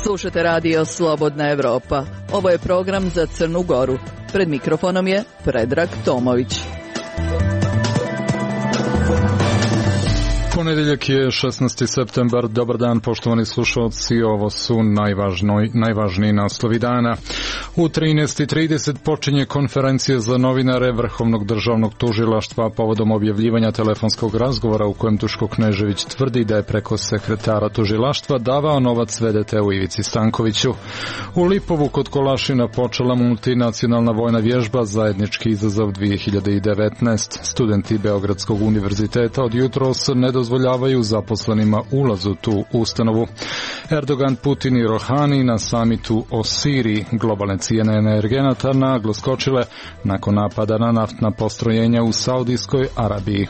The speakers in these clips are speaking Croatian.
Slušate radio Slobodna Evropa. Ovo je program za Crnu Goru. Pred mikrofonom je Predrag Tomović. Ponedjeljak je 16. septembar. Dobar dan, poštovani slušalci. Ovo su najvažniji naslovi dana. U 13:30 počinje konferencija za novinare Vrhovnog državnog tužilaštva povodom objavljivanja telefonskog razgovora u kojem Duško Knežević tvrdi da je preko sekretara tužilaštva davao novac VDT-u Ivici Stankoviću. U Lipovu kod Kolašina počela multinacionalna vojna vježba Zajednički izazov 2019. Studenti Beogradskog univerziteta od jutros ne dozvoljavaju zaposlenima ulaz u tu ustanovu. Erdogan, Putin i Rohani na samitu o Siriji. Globalne cijene energenata naglo skočile nakon napada na naftna postrojenja u Saudijskoj Arabiji.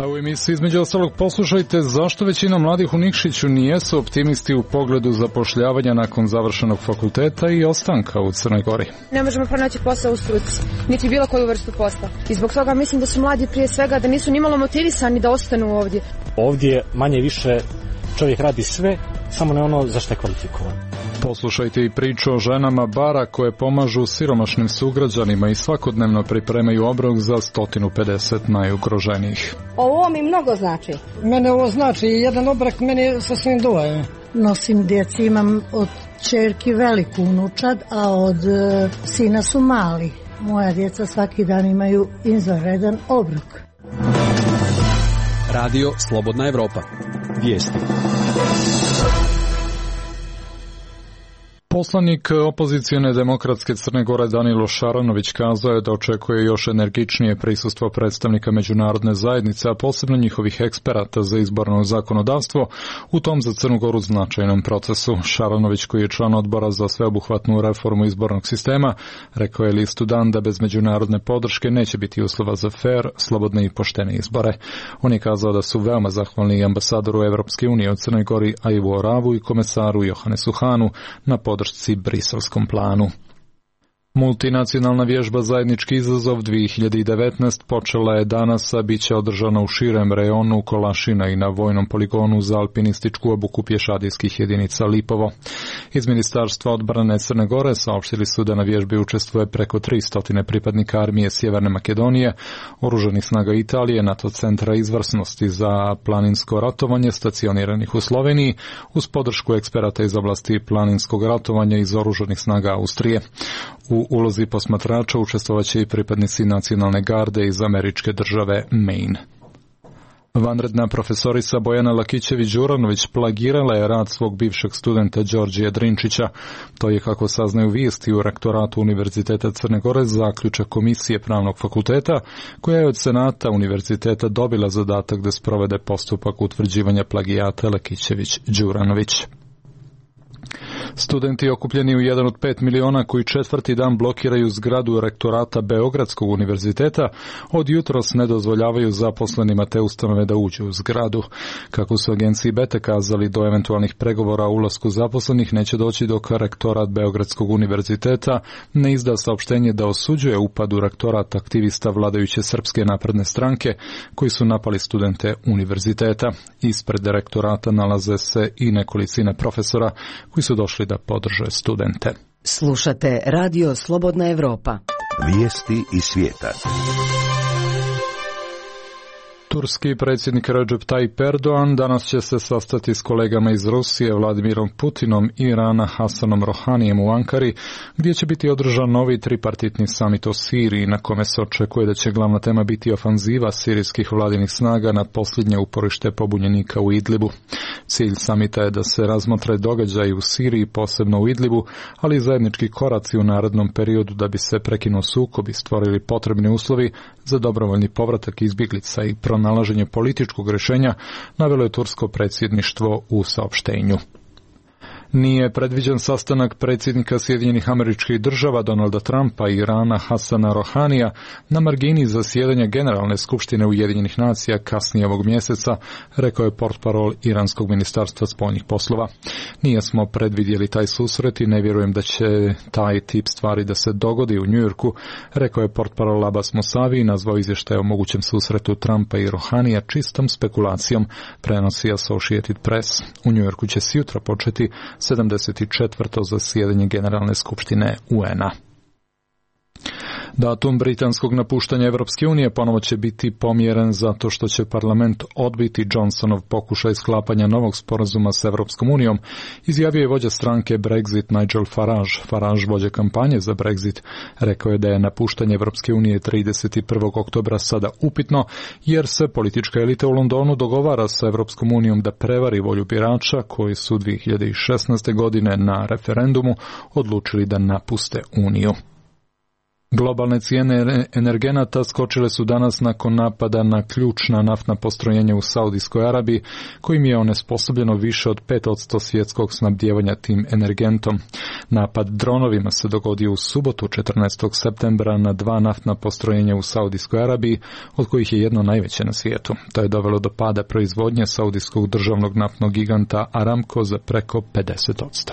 A u emisiji između ostalog poslušajte zašto većina mladih u Nikšiću nijesu optimisti u pogledu zapošljavanja nakon završenog fakulteta i ostanka u Crnoj Gori. Ne možemo pronaći posao u struci, niti bilo koju vrstu posla. I zbog toga mislim da su mladi prije svega da nisu nimalo motivisani da ostanu ovdje. Ovdje manje više čovjek radi sve, samo ne ono za što je kvalifikovan. Poslušajte i priču o ženama bara koje pomažu siromašnim sugrađanima i svakodnevno pripremaju obrok za 150 najugroženijih. Ovo mi mnogo znači. Mene ovo znači, jedan obrok meni sasvim dovoljno. Nosim djeci, imam od ćerki veliku unučad, a od sina su mali. Moja djeca svaki dan imaju izvanredan obrok. Radio Slobodna Evropa. Vijesti. Poslanik opozicijone demokratske Crne Gore Danilo Šaranović kazao je da očekuje još energičnije prisustvo predstavnika međunarodne zajednice, a posebno njihovih eksperata za izborno zakonodavstvo u tom za Crnu Goru značajnom procesu. Šaranović, koji je član odbora za sveobuhvatnu reformu izbornog sistema, rekao je listu Dan da bez međunarodne podrške neće biti uslova za fer, slobodne i poštene izbore. On je kazao da su veoma zahvalni ambasadoru Evropske unije u Crnoj Gori Aivu Oravu i komesaru Johanesu Hanu na podršci briselskom planu. Multinacionalna vježba Zajednički izazov 2019 počela je danas, a bit će održana u širem rejonu Kolašina i na vojnom poligonu za alpinističku obuku pješadijskih jedinica Lipovo. Iz Ministarstva odbrane Crne Gore saopštili su da na vježbi učestvuje preko 300 pripadnika armije Sjeverne Makedonije, oružanih snaga Italije, NATO centra izvrsnosti za planinsko ratovanje stacioniranih u Sloveniji, uz podršku eksperata iz oblasti planinskog ratovanja iz oružanih snaga Austrije. U ulozi posmatrača učestvovaće i pripadnici nacionalne garde iz američke države Maine. Vanredna profesorica Bojana Lakićević-Đuranović plagirala je rad svog bivšeg studenta Đorđija Drinčića. To je, kako saznaju vijesti u rektoratu Univerziteta Crne Gore, zaključak komisije Pravnog fakulteta, koja je od Senata Univerziteta dobila zadatak da sprovede postupak utvrđivanja plagijata Lakićević-Đuranović. Studenti okupljeni u jedan od 5 miliona koji četvrti dan blokiraju zgradu rektorata Beogradskog univerziteta od jutros ne dozvoljavaju zaposlenima te ustanove da uđu u zgradu. Kako su agenciji BETE kazali, do eventualnih pregovora o ulasku zaposlenih neće doći dok rektorat Beogradskog univerziteta ne izda saopštenje da osuđuje upad u rektorat aktivista vladajuće Srpske napredne stranke koji su napali studente univerziteta. Ispred rektorata nalaze se i nekolicina profesora koji su došli da podrže studente. Slušate Radio Slobodna Evropa. Vijesti iz svijeta. Turski predsjednik Recep Tayyip Erdogan danas će se sastati s kolegama iz Rusije, Vladimirom Putinom i Irana, Hasanom Rohanijem u Ankari, gdje će biti održan novi tripartitni samit o Siriji, na kome se očekuje da će glavna tema biti ofanziva sirijskih vladinih snaga na posljednje uporište pobunjenika u Idlibu. Cilj samita je da se razmotre događaji u Siriji, posebno u Idlibu, ali i zajednički koraci u narednom periodu da bi se prekinuo sukob i stvorili potrebni uslovi za dobrovoljni povratak izbjeglica i pronalaženje političkog rješenja, navelo je tursko predsjedništvo u saopštenju. Nije predviđen sastanak predsjednika Sjedinjenih Američkih Država Donalda Trumpa i Irana Hasana Rohanija na margini zasjedanja Generalne skupštine Ujedinjenih nacija kasnije ovog mjeseca, rekao je portparol Iranskog ministarstva spoljnih poslova. Nije smo predvidjeli taj susret i ne vjerujem da će taj tip stvari da se dogodi u Njujorku, rekao je portparol Abbas Mousavi i nazvao izvještaj o mogućem susretu Trumpa i Rohanija čistom spekulacijom, prenosi Associated Press. U Njujorku će sutra početi 74. zasjedanje Generalne skupštine UN-a. Datum britanskog napuštanja Evropske unije ponovo će biti pomjeren zato što će parlament odbiti Johnsonov pokušaj sklapanja novog sporazuma s Evropskom unijom, izjavio je vođa stranke Brexit Nigel Farage. Farage, vođa kampanje za Brexit, rekao je da je napuštanje Evropske unije 31. oktobra sada upitno, jer se politička elita u Londonu dogovara sa Evropskom unijom da prevari volju birača koji su 2016. godine na referendumu odlučili da napuste uniju. Globalne cijene energenata skočile su danas nakon napada na ključna naftna postrojenja u Saudijskoj Arabiji, kojim je onesposobljeno više od 5% svjetskog snabdijevanja tim energentom. Napad dronovima se dogodio u subotu 14. septembra na 2 naftna postrojenja u Saudijskoj Arabiji, od kojih je jedno najveće na svijetu. To je dovelo do pada proizvodnje saudijskog državnog naftnog giganta Aramco za preko 50%.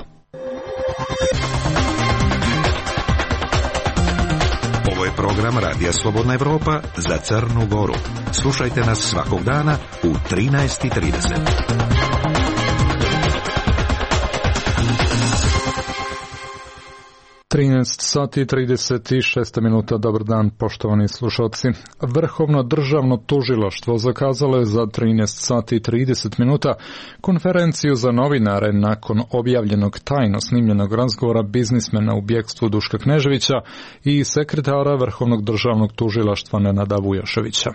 Ovo je program Radija Slobodna Evropa za Crnu Goru. Slušajte nas svakog dana u 13:30. 13 sati 36 minuta, dobar dan poštovani slušalci. Vrhovno državno tužilaštvo zakazalo je za 13 sati 30 minuta konferenciju za novinare nakon objavljenog tajno snimljenog razgovora biznismena u bjekstvu Duška Kneževića i sekretara Vrhovnog državnog tužilaštva Nenada Vujoševića.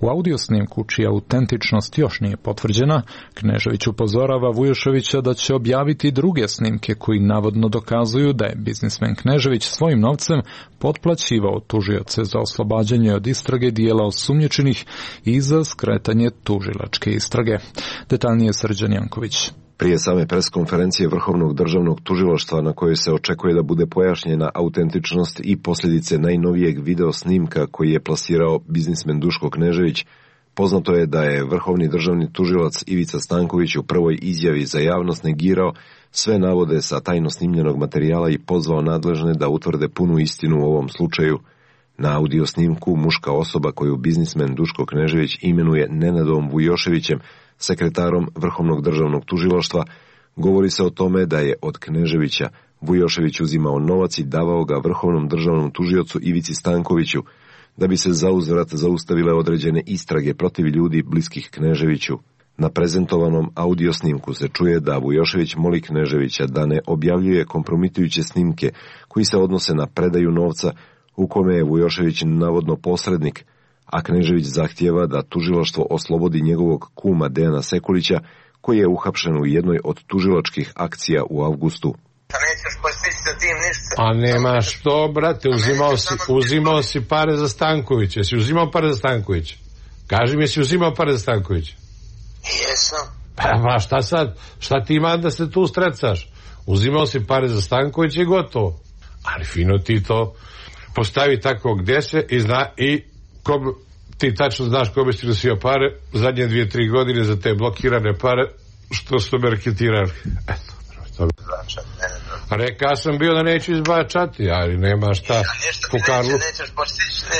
U audio snimku, čija autentičnost još nije potvrđena, Knežević upozorava Vujoševića da će objaviti druge snimke koji navodno dokazuju da je biznismen Knežević svojim novcem potplaćivao tužioce za oslobađanje od istrage dijela osumnjičenih i za skretanje tužilačke istrage. Detaljnije Srđan Janković. Prije same preskonferencije Vrhovnog državnog tužilaštva na kojoj se očekuje da bude pojašnjena autentičnost i posljedice najnovijeg video snimka koji je plasirao biznismen Duško Knežević, poznato je da je Vrhovni državni tužilac Ivica Stanković u prvoj izjavi za javnost negirao sve navode sa tajno snimljenog materijala i pozvao nadležne da utvrde punu istinu u ovom slučaju. Na audio snimku muška osoba koju biznismen Duško Knežević imenuje Nenadom Vujoševićem, sekretarom Vrhovnog državnog tužilaštva, govori se o tome da je od Kneževića Vujošević uzimao novac i davao ga Vrhovnom državnom tužiocu Ivici Stankoviću, da bi se zauzvrat zaustavile određene istrage protiv ljudi bliskih Kneževiću. Na prezentovanom audio snimku se čuje da Vujošević moli Kneževića da ne objavljuje kompromitujuće snimke koji se odnose na predaju novca u kome je Vujošević navodno posrednik, a Knežević zahtijeva da tužilaštvo oslobodi njegovog kuma Dejana Sekulića, koji je uhapšen u jednoj od tužilačkih akcija u avgustu. A nema što, brate, uzimao si pare za Stankovića. Jesi uzimao pare za Stankovića? Kaži mi, jesi uzimao pare za Stankovića? Jesam. Pa šta sad? Šta ti ima da se tu strecaš? Uzimao si pare za Stankovića i gotovo. Ali fino ti to postavi tako gdje se i ti tačno znaš kome si nosio pare zadnje 2-3 godine za te blokirane pare što su marketirali. Eto. Rekao sam bio da neću izbačati, ali nema šta. Po Karlu.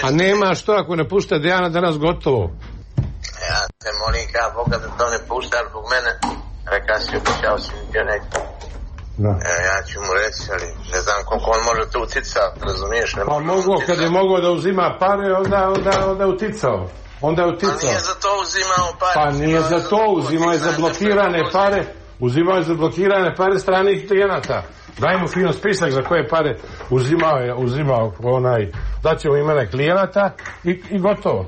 A nema što ako ne pušta Dejana danas gotovo. Ja te molim kao Boga da to ne pušta zbog mene. Rekao si, obećao si mi bio neki. Ja ću mu reći, ali ne znam koliko on može to uticati, razumiješ? Pa mogo, kad je mogao da uzima pare, onda uticao. Onda je uticao. Pa nije za to uzimao pare. Pa nije za to, uzimao je za blokirane pare. Uzimao je za blokirane pare stranih klijenata. Daj mu fino spisak za koje pare uzimao daćemo imena klijenata i gotovo.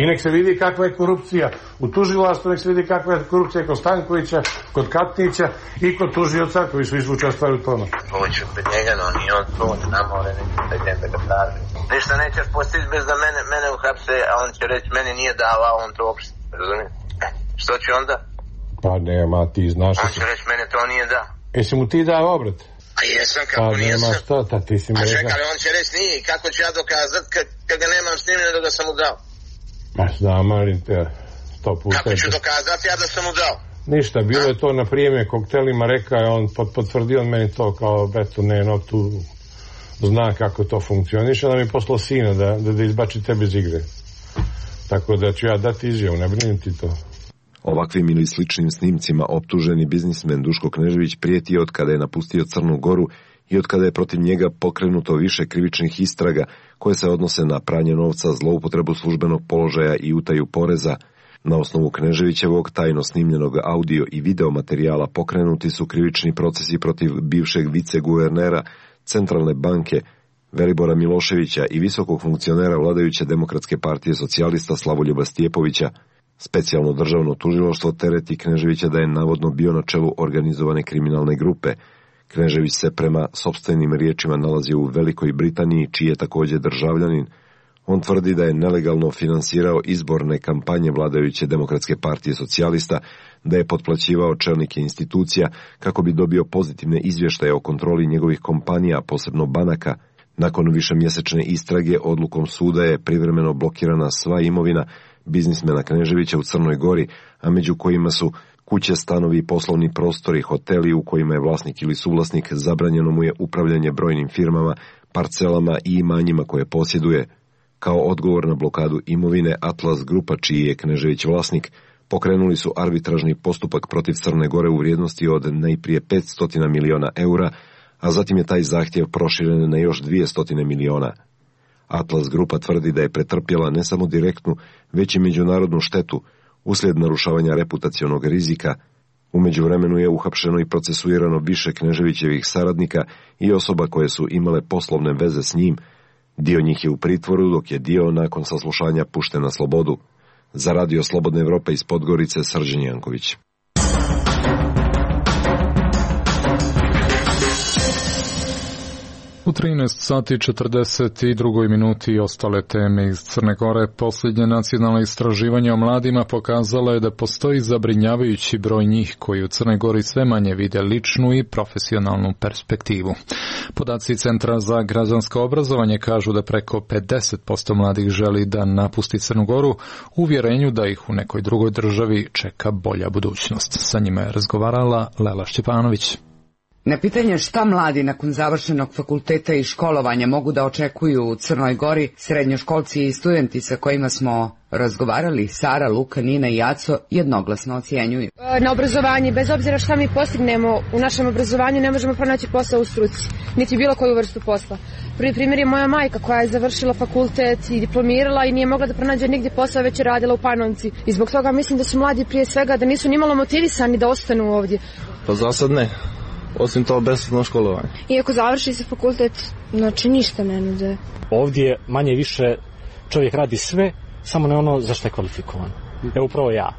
I nek se vidi kakva je korupcija u tužilaštvu, nek se vidi kakva je korupcija kod Stankovića, kod Katnića i kod tužioca koji su učestvovali u tome. Poću kod njega, no nije on tu, ne more da ga traži. Ništa nećeš postići bez da mene uhapse, a on će reći meni nije davao, on to uopšte, razumije? Što će onda? Pa nema, ti znaš... On će reći mene to nije da. Jesi mu ti dao obrat? A jesam, kako pa, nijesam. Šta, ti si mi rekao. A čekaj, on će reći nije, kako ću ja dokazat kad ga nemam snimljeno da ga sam mu dao? Ma znam, malim te, 100 puta. Kako ću dokazati ja da sam mu dao? Ništa, bilo je to na prijeme koktelima, rekao je on, potvrdio on meni to kao, eto, ne, no, tu zna kako to funkcioniše, da mi poslao sina da izbači tebe iz igre. Tako da ću ja dati izjavu, ne brini ti to. Ovakvim ili sličnim snimcima optuženi biznismen Duško Knežević prijeti od kada je napustio Crnu Goru i od kada je protiv njega pokrenuto više krivičnih istraga koje se odnose na pranje novca, zloupotrebu službenog položaja i utaju poreza. Na osnovu Kneževićevog tajno snimljenog audio i video materijala pokrenuti su krivični procesi protiv bivšeg viceguvernera Centralne banke Velibora Miloševića i visokog funkcionera vladajuće Demokratske partije socijalista Slavoljuba Stjepovića. Specijalno državno tužilaštvo tereti Kneževića da je navodno bio na čelu organizovane kriminalne grupe. Knežević se prema sopstvenim riječima nalazi u Velikoj Britaniji, čiji je također državljanin. On tvrdi da je nelegalno finansirao izborne kampanje vladajuće Demokratske partije socijalista, da je potplaćivao čelnike institucija kako bi dobio pozitivne izvještaje o kontroli njegovih kompanija, posebno banaka. Nakon višemjesečne istrage odlukom suda je privremeno blokirana sva imovina biznismena Kneževića u Crnoj Gori, a među kojima su kuće, stanovi, poslovni prostori, hoteli u kojima je vlasnik ili suvlasnik, zabranjeno mu je upravljanje brojnim firmama, parcelama i imanjima koje posjeduje. Kao odgovor na blokadu imovine, Atlas Grupa, čiji je Knežević vlasnik, pokrenuli su arbitražni postupak protiv Crne Gore u vrijednosti od najprije 500 miliona eura, a zatim je taj zahtjev proširen na još 200 miliona. Atlas Grupa tvrdi da je pretrpjela ne samo direktnu, već i međunarodnu štetu uslijed narušavanja reputacionog rizika. U međuvremenu je uhapšeno i procesuirano više Kneževićevih saradnika i osoba koje su imale poslovne veze s njim. Dio njih je u pritvoru, dok je dio nakon saslušanja pušten na slobodu. Za Radio Slobodna Evropa iz Podgorice, Srđan Janković. U 13 sati 42 minuti ostale teme iz Crne Gore. Posljednje nacionalno istraživanje o mladima pokazalo je da postoji zabrinjavajući broj njih koji u Crnoj Gori sve manje vide ličnu i profesionalnu perspektivu. Podaci Centra za građansko obrazovanje kažu da preko 50% mladih želi da napusti Crnu Goru u uvjerenju da ih u nekoj drugoj državi čeka bolja budućnost. Sa njima je razgovarala Lela Šćepanović. Na pitanje šta mladi nakon završenog fakulteta i školovanja mogu da očekuju u Crnoj Gori, srednjoškolci i studenti sa kojima smo razgovarali, Sara, Luka, Nina i Aco, jednoglasno ocjenjuju. Na obrazovanje, bez obzira šta mi postignemo u našem obrazovanju, ne možemo pronaći posao u struci, niti bilo koju vrstu posla. Prvi primjer je moja majka koja je završila fakultet i diplomirala i nije mogla da pronađe nigdje posao, već je radila u Panonci. I zbog toga mislim da su mladi prije svega da nisu nimalo motivisani da ostanu ovdje. Pa za sad ne. Osim to besplatno školovanje. Iako završi se fakultet, znači ništa ne nude. Ovdje manje više čovjek radi sve, samo ne ono za što je kvalifikovan. Evo upravo ja.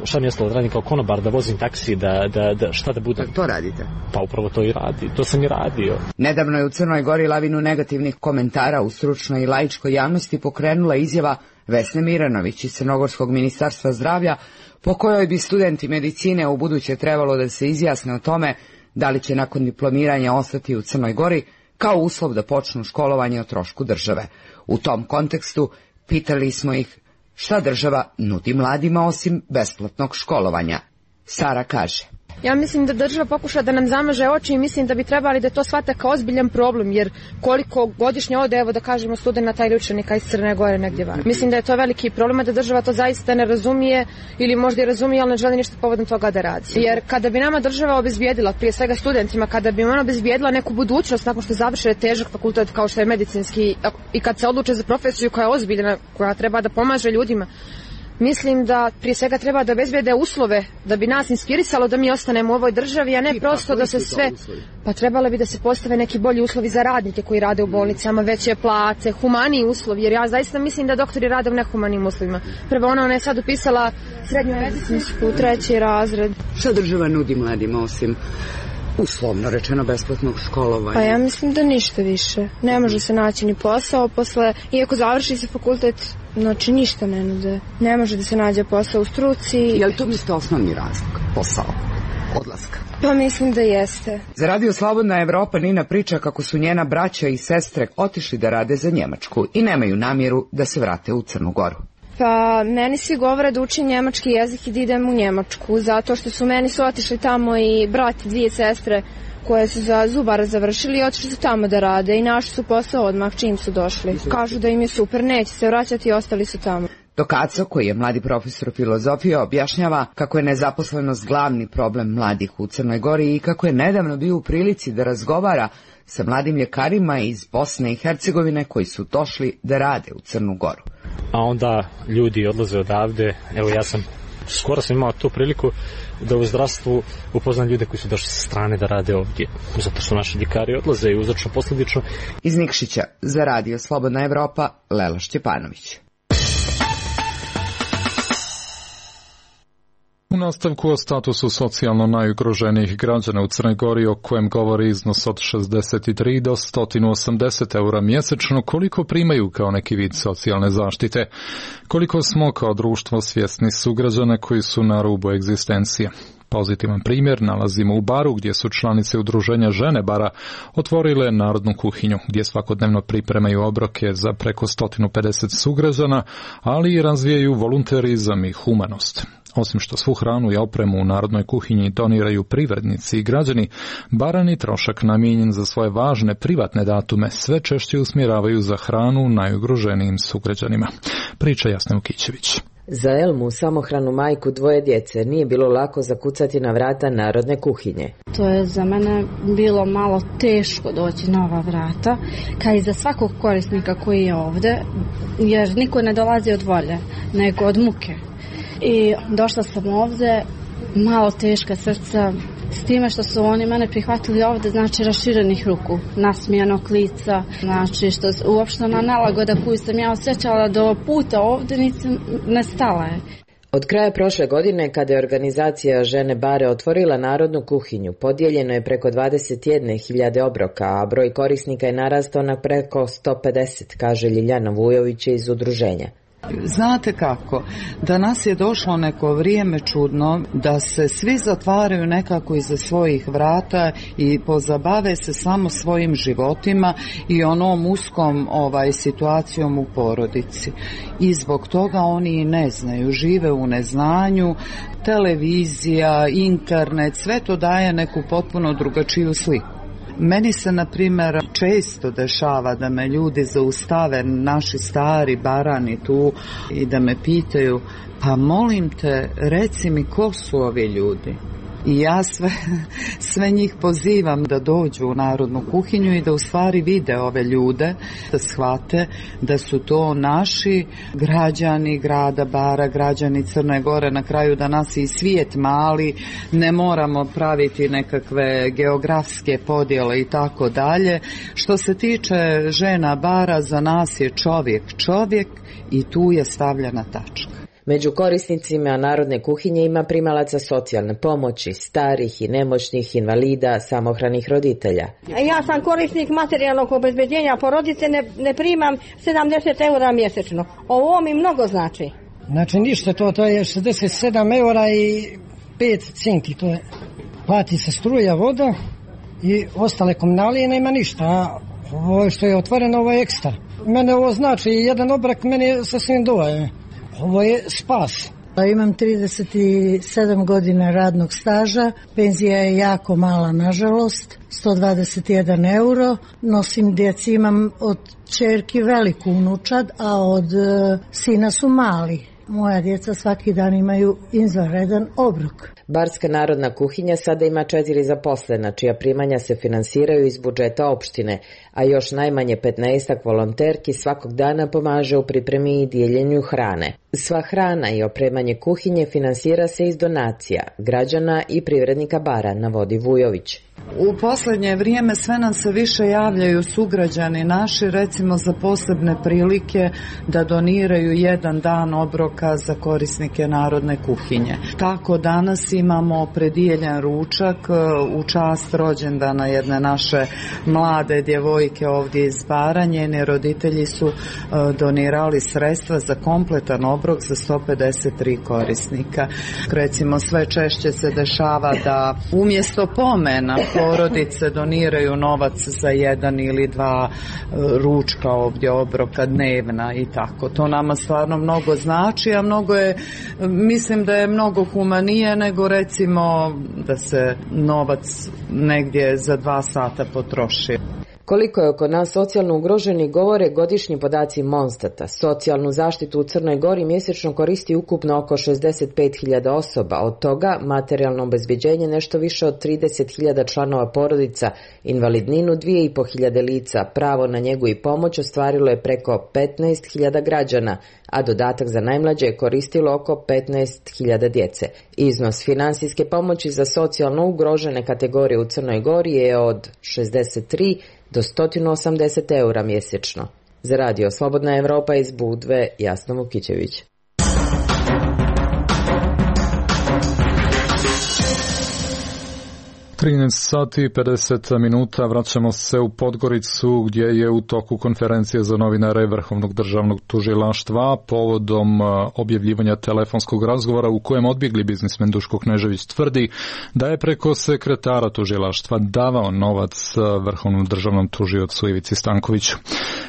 Šta mi je ostalo da radim kao konobar, da vozim taksi, da šta da budem. To radite? Pa upravo to i radi, to sam i radio. Nedavno je u Crnoj Gori lavinu negativnih komentara u stručnoj i laičkoj javnosti pokrenula izjava Vesne Miranović iz Crnogorskog ministarstva zdravlja, po kojoj bi studenti medicine u buduće trebalo da se izjasne o tome da li će nakon diplomiranja ostati u Crnoj Gori kao uslov da počnu školovanje o trošku države. U tom kontekstu pitali smo ih šta država nudi mladima osim besplatnog školovanja. Sara kaže: Ja mislim da država pokuša da nam zamaže oči i mislim da bi trebali da to shvate kao ozbiljan problem, jer koliko godišnje ode, evo da kažemo, studenta ili učenika iz Crne Gore negdje van. Mislim da je to veliki problem, da država to zaista ne razumije ili možda i razumije, ali ne želi ništa povodom toga da radi. Jer kada bi nama država obezbijedila, prije svega studentima, kada bi ona obezbijedila neku budućnost nakon što završe težak fakultet kao što je medicinski i kad se odluče za profesiju koja je ozbiljna, koja treba da pomaže ljudima, mislim da prije svega treba da obezbijede uslove da bi nas inspirisalo da mi ostanemo u ovoj državi, a ne prosto da se sve... Pa trebalo bi da se postave neki bolji uslovi za radnike koji rade u bolnicama, veće plate, humaniji uslovi, jer ja zaista mislim da doktori rade u nehumanim uslovima. Prvo ona je sad upisala srednju medicinsku, 3. razred. Šta država nudi mladima osim uslovno rečeno besplatnog školovanja? Pa ja mislim da ništa više. Ne može se naći ni posao posle, iako završi se fakultet, znači ništa ne nude. Ne može da se nađe posao u struci. Je li to mislite osnovni razlog? Posao? odlaska? Pa mislim da jeste. Za Radio Slobodna Evropa Nina priča kako su njena braća i sestre otišli da rade za Njemačku i nemaju namjeru da se vrate u Crnu Goru. Pa meni svi govore da učim njemački jezik i da idem u Njemačku, zato što su meni otišli tamo i brat i dvije sestre koje su za zubara završili i otišli su tamo da rade i našli su posao odmah čim su došli. Kažu da im je super, neće se vraćati i ostali su tamo. Dok Aco, koji je mladi profesor filozofije, objašnjava kako je nezaposlenost glavni problem mladih u Crnoj Gori i kako je nedavno bio u prilici da razgovara sa mladim ljekarima iz Bosne i Hercegovine koji su došli da rade u Crnu Goru. A onda ljudi odlaze odavde, evo ja skoro sam imao tu priliku da u zdravstvu upoznam ljude koji su došli sa strane da rade ovdje, zato što naši ljekari odlaze i uzročno posljedično. Iz Nikšića za Radio Slobodna Evropa, Lela Šćepanović. U nastavku o statusu socijalno najugroženijih građana u Crnoj Gori, o kojem govori iznos od 63 do 180 eura mjesečno, koliko primaju kao neki vid socijalne zaštite, koliko smo kao društvo svjesni sugrađana koji su na rubu egzistencije. Pozitivan primjer nalazimo u Baru, gdje su članice udruženja Žene Bara otvorile narodnu kuhinju, gdje svakodnevno pripremaju obroke za preko 150 sugrađana, ali i razvijaju volunterizam i humanost. Osim što svu hranu i opremu u narodnoj kuhinji doniraju privrednici i građani, barani trošak namijenjen za svoje važne privatne datume sve češće usmjeravaju za hranu najugroženijim sugrađanima. Priča Jasna Ukićević. Za Elmu, samohranu majku dvoje djece, nije bilo lako zakucati na vrata narodne kuhinje. To je za mene bilo malo teško doći na ova vrata, kao i za svakog korisnika koji je ovdje, jer niko ne dolazi od volje, nego od muke. I došla sam ovdje, malo teška srca, s time što su oni mene prihvatili ovdje, znači raširenih ruku, nasmijanog lica, znači što uopštena nelagoda koju sam ja osjećala do puta ovdje ne stala je. Od kraja prošle godine, kada je organizacija Žene Bare otvorila narodnu kuhinju, podijeljeno je preko 21.000 obroka, a broj korisnika je narastao na preko 150, kaže Ljiljana Vujović iz udruženja. Znate kako, danas je došlo neko vrijeme čudno da se svi zatvaraju nekako iza svojih vrata i pozabave se samo svojim životima i onom uskom situacijom u porodici. I zbog toga oni ne znaju, žive u neznanju, televizija, internet, sve to daje neku potpuno drugačiju sliku. Meni se, na primjer, često dešava da me ljudi zaustave, naši stari barani tu, i da me pitaju, pa molim te, reci mi ko su ovi ljudi. I ja sve njih pozivam da dođu u narodnu kuhinju i da u stvari vide ove ljude, da shvate da su to naši građani grada Bara, građani Crne Gore, na kraju da nas i svijet mali, ne moramo praviti nekakve geografske podjele i tako dalje. Što se tiče žena Bara, za nas je čovjek i tu je stavljena tačka. Među korisnicima narodne kuhinje ima primalaca socijalne pomoći, starih i nemoćnih, invalida, samohranih roditelja. Ja sam korisnik materijalnog obezbeđenja porodice, ne primam 70 eura mjesečno. Ovo mi mnogo znači. Znači ništa, to je 67 eura i 5 cinki, to je. Plati se struja, voda i ostale komunalije, nema ništa. A ovo što je otvoreno, ovo je ekstra. Mene ovo znači, jedan obrok meni sasvim dovoljno. Ovo je spas. Imam 37 godina radnog staža, penzija je jako mala nažalost, 121 euro, nosim djeci, imam od ćerki veliku unučad, a od sina su mali. Moja djeca svaki dan imaju izvanredan obrok. Barska narodna kuhinja sada ima 4 zaposlena, čija primanja se finansiraju iz budžeta opštine, a još najmanje 15 volonterki svakog dana pomaže u pripremi i dijeljenju hrane. Sva hrana i opremanje kuhinje finansira se iz donacija građana i privrednika Bara, navodi Vujović. U posljednje vrijeme sve nam se više javljaju sugrađani naši, recimo za posebne prilike da doniraju jedan dan obroka za korisnike narodne kuhinje. Tako danas imamo predijeljen ručak u čast rođendana jedne naše mlade djevojke ovdje iz Baranje. Njeni roditelji su donirali sredstva za kompletan obrok za 153 korisnika. Recimo sve češće se dešava da umjesto pomena porodice doniraju novac za jedan ili dva ručka ovdje obroka dnevna i tako. To nama stvarno mnogo znači, a mnogo je, mislim da je mnogo humanije nego recimo da se novac negdje za 2 sata potroši. Koliko je oko nas socijalno ugroženi govore godišnji podaci Monstata. Socijalnu zaštitu u Crnoj Gori mjesečno koristi ukupno oko 65.000 osoba, od toga materijalno obezbjeđenje nešto više od 30.000 članova porodica, invalidninu 2.500 lica, pravo na njegu i pomoć ostvarilo je preko 15.000 građana, a dodatak za najmlađe je koristilo oko 15.000 djece. Iznos financijske pomoći za socijalno ugrožene kategorije u Crnoj Gori je od 63 do 180 eura mjesečno. Za radio Slobodna Evropa iz Budve, Jasna Vukićević. sati i 50 minuta vraćamo se u Podgoricu gdje je u toku konferencije za novinare Vrhovnog državnog tužilaštva povodom objavljivanja telefonskog razgovora u kojem odbjegli biznismen Duško Knežević tvrdi da je preko sekretara tužilaštva davao novac Vrhovnom državnom tužiocu Ivici Stankoviću.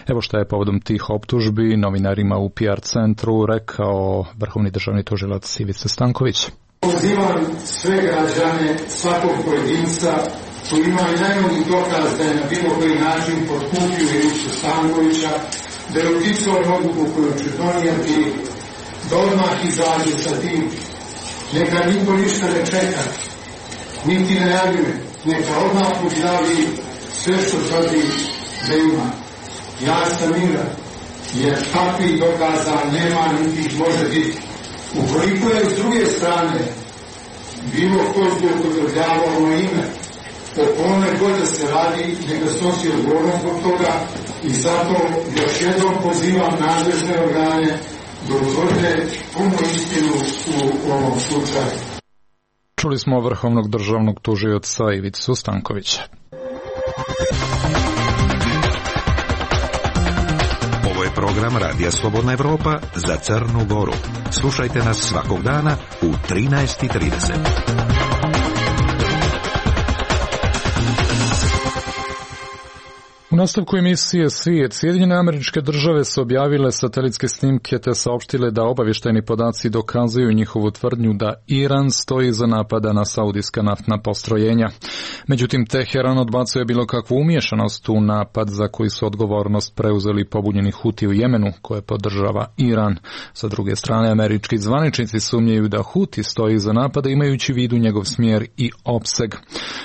Evo šta je povodom tih optužbi novinarima u PR centru rekao Vrhovni državni tužilac Ivica Stanković. Pozivam sve građane, svakog pojedinca koji imaju najmanji dokaz da je na bilo koji način potkupio Ivicu Stankovića, da je uticao odluku koju će donijeti, da odmah izađe sa tim. Neka niko ništa ne čeka, niti ne najavljuje, neka odmah objavi sve što tvrdi da ima. Ja sam miran, jer takvih dokaza nema niti ih može biti. Ukoliko je s druge strane bilo ko zloupotrebljavao ono ime, o kome god da se radi, neka snosi odgovornost zbog toga i zato još jednom pozivam nadležne organe da utvrde punu istinu u ovom slučaju. Čuli smo Vrhovnog državnog tužioca Ivicu Stankovića. Program Radija Slobodna Evropa za Crnu Goru. Slušajte nas svakog dana u 13:30. U nastavku emisije Svijet, Sjedinjene Američke Države su objavile satelitske snimke te saopštile da obavještajni podaci dokazuju njihovu tvrdnju da Iran stoji iza napada na saudijska naftna postrojenja. Međutim, Teheran odbacuje bilo kakvu umiješanost u napad za koji su odgovornost preuzeli pobunjeni Huti u Jemenu, koje podržava Iran. Sa druge strane, američki zvaničnici sumnjaju da Huti stoji iza napada imajući u vidu njegov smjer i opseg.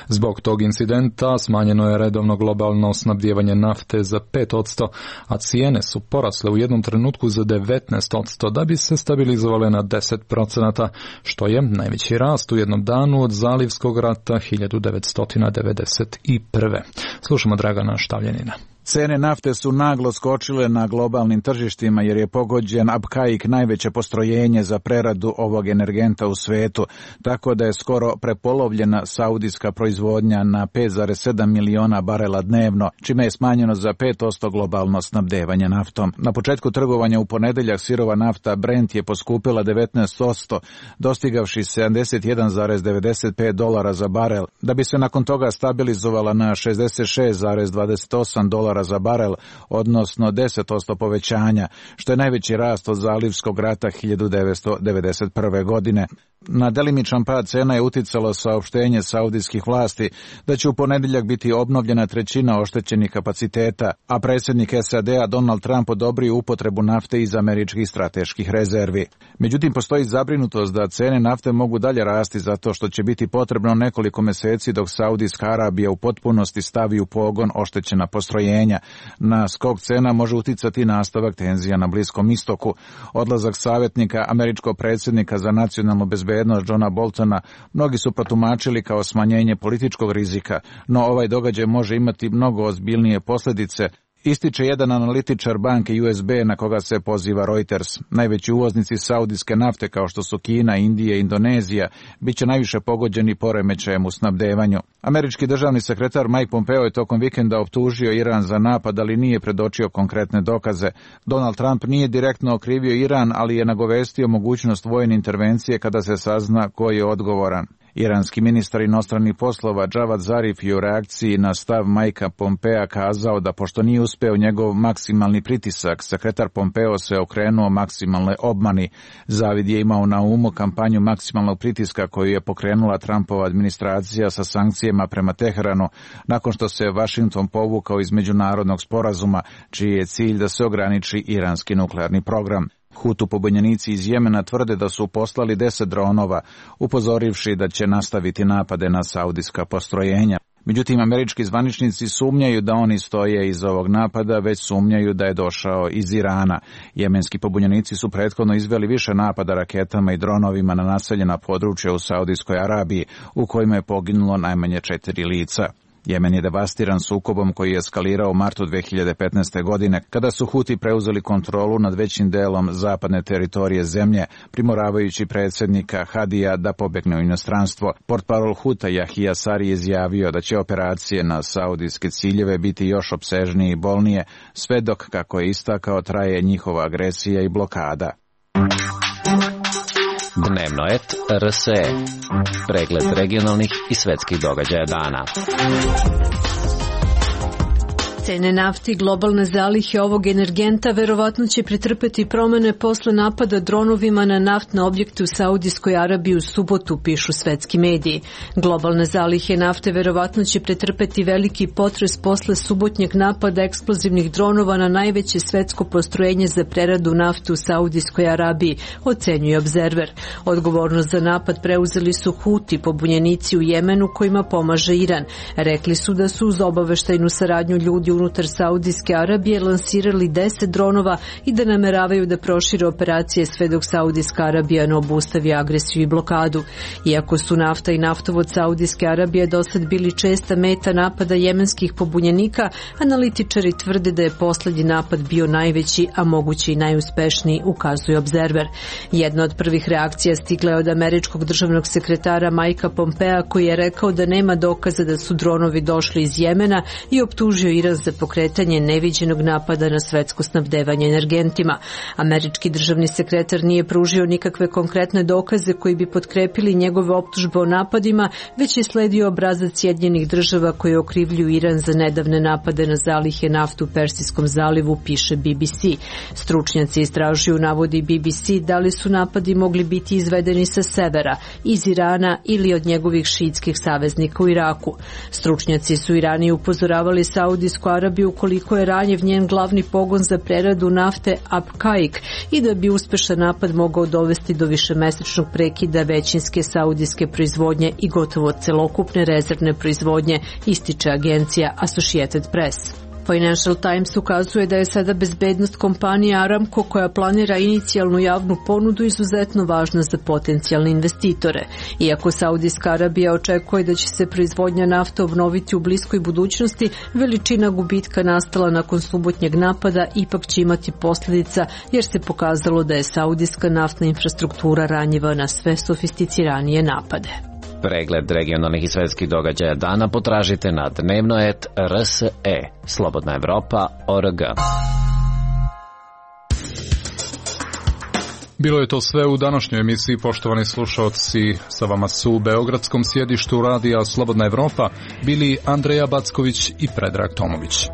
Zbog tog incidenta smanjeno je redovno globalno snabdijevanje nafte za 5%, a cijene su porasle u jednom trenutku za 19% da bi se stabilizovale na 10%, što je najveći rast u jednom danu od Zalivskog rata 1991. Slušamo Dragana Štavljanina. Cene nafte su naglo skočile na globalnim tržištima jer je pogođen Abqaiq, najveće postrojenje za preradu ovog energenta u svetu, tako da je skoro prepolovljena saudijska proizvodnja na 5,7 miliona barela dnevno, čime je smanjeno za 5% globalno snabdevanje naftom. Na početku trgovanja u ponedjeljak sirova nafta Brent je poskupila 19%, dostigavši $71,95 za barel, da bi se nakon toga stabilizovala na $66,28 za barel, odnosno 10% povećanja, što je najveći rast od Zalivskog rata 1991. godine. Na delimičan pad cena je uticalo saopštenje saudijskih vlasti da će u ponedjeljak biti obnovljena trećina oštećenih kapaciteta, a predsjednik SAD-a Donald Trump odobrio upotrebu nafte iz američkih strateških rezervi. Međutim, postoji zabrinutost da cene nafte mogu dalje rasti zato što će biti potrebno nekoliko mjeseci dok Saudijska Arabija u potpunosti stavi u pogon oštećena postrojenja. Na skok cena može uticati nastavak tenzija na Bliskom istoku. Odlazak savjetnika američkog predsjednika za nacionalnu bezbednost bezbednost Johna Boltona mnogi su protumačili kao smanjenje političkog rizika, no ovaj događaj može imati mnogo ozbiljnije posljedice, ističe jedan analitičar banke USB na koga se poziva Reuters. Najveći uvoznici saudijske nafte kao što su Kina, Indija i Indonezija bit će najviše pogođeni poremećajem u snabdevanju. Američki državni sekretar Mike Pompeo je tokom vikenda optužio Iran za napad, ali nije predočio konkretne dokaze. Donald Trump nije direktno okrivio Iran, ali je nagovestio mogućnost vojne intervencije kada se sazna ko je odgovoran. Iranski ministar inostranih poslova Javad Zarif je u reakciji na stav Mikea Pompea kazao da pošto nije uspeo njegov maksimalni pritisak, sekretar Pompeo se okrenuo maksimalnoj obmani. Zavid je imao na umu kampanju maksimalnog pritiska koju je pokrenula Trumpova administracija sa sankcijama prema Teheranu nakon što se Washington povukao iz međunarodnog sporazuma, čiji je cilj da se ograniči iranski nuklearni program. Hutu pobunjenici iz Jemena tvrde da su poslali 10 dronova, upozorivši da će nastaviti napade na saudijska postrojenja. Međutim, američki zvaničnici sumnjaju da oni stoje iz ovog napada, već sumnjaju da je došao iz Irana. Jemenski pobunjenici su prethodno izveli više napada raketama i dronovima na naseljena područja u Saudijskoj Arabiji, u kojima je poginulo najmanje 4 lica. Jemen je devastiran sukobom koji je eskalirao u martu 2015. godine, kada su Huti preuzeli kontrolu nad većim delom zapadne teritorije zemlje, primoravajući predsjednika Hadija da pobegne u inostranstvo. Portparol Huta Yahya Sari je izjavio da će operacije na saudijske ciljeve biti još opsežnije i bolnije, sve dok, kako je istakao, traje njihova agresija i blokada. Dnevno et RSE. Pregled regionalnih i svetskih događaja dana. Cene nafte i globalne zalihe ovog energenta verovatno će pretrpeti promene posle napada dronovima na naftne objekte u Saudijskoj Arabiji u subotu, pišu svetski mediji. Globalne zalihe nafte verovatno će pretrpeti veliki potres posle subotnjeg napada eksplozivnih dronova na najveće svetsko postrojenje za preradu nafte u Saudijskoj Arabiji, ocenjuje Observer. Odgovornost za napad preuzeli su Huti, pobunjenici u Jemenu kojima pomaže Iran. Rekli su da su uz obaveštajnu saradnju ljudi unutar Saudijske Arabije lansirali 10 dronova i da nameravaju da prošire operacije sve dok Saudijska Arabija ne obustavi agresiju i blokadu. Iako su nafta i naftovod Saudijske Arabije dosad bili česta meta napada jemenskih pobunjenika, analitičari tvrde da je poslednji napad bio najveći, a moguće i najuspešniji, ukazuje Observer. Jedna od prvih reakcija stigla je od američkog državnog sekretara Mikea Pompea, koji je rekao da nema dokaza da su dronovi došli iz Jemena i optužio Iran za pokretanje neviđenog napada na svetsko snabdevanje energentima. Američki državni sekretar nije pružio nikakve konkretne dokaze koji bi potkrepili njegove optužbe o napadima, već je sledio obrazac Sjedinjenih država koji okrivljuju Iran za nedavne napade na zalihe nafte u Persijskom zalivu, piše BBC. Stručnjaci istražuju, navodi BBC, da li su napadi mogli biti izvedeni sa severa, iz Irana ili od njegovih šiitskih saveznika u Iraku. Stručnjaci su Irani upozoravali Saudijsku Arabiju ukoliko je ranjiv njen glavni pogon za preradu nafte Abqaiq i da bi uspešan napad mogao dovesti do višemesečnog prekida većinske saudijske proizvodnje i gotovo celokupne rezervne proizvodnje, ističe agencija Associated Press. Financial Times ukazuje da je sada bezbednost kompanije Aramco, koja planira inicijalnu javnu ponudu, izuzetno važna za potencijalne investitore. Iako Saudijska Arabija očekuje da će se proizvodnja nafte obnoviti u bliskoj budućnosti, veličina gubitka nastala nakon subotnjeg napada ipak će imati posljedica, jer se pokazalo da je saudijska naftna infrastruktura ranjiva na sve sofisticiranije napade. Pregled regionalnih i svetskih događaja dana potražite na dnevno.rs.e. Slobodna Evropa.org. Bilo je to sve u današnjoj emisiji, poštovani slušalci. Sa vama su u beogradskom sjedištu radija Slobodna Evropa bili Andreja Backović i Predrag Tomović.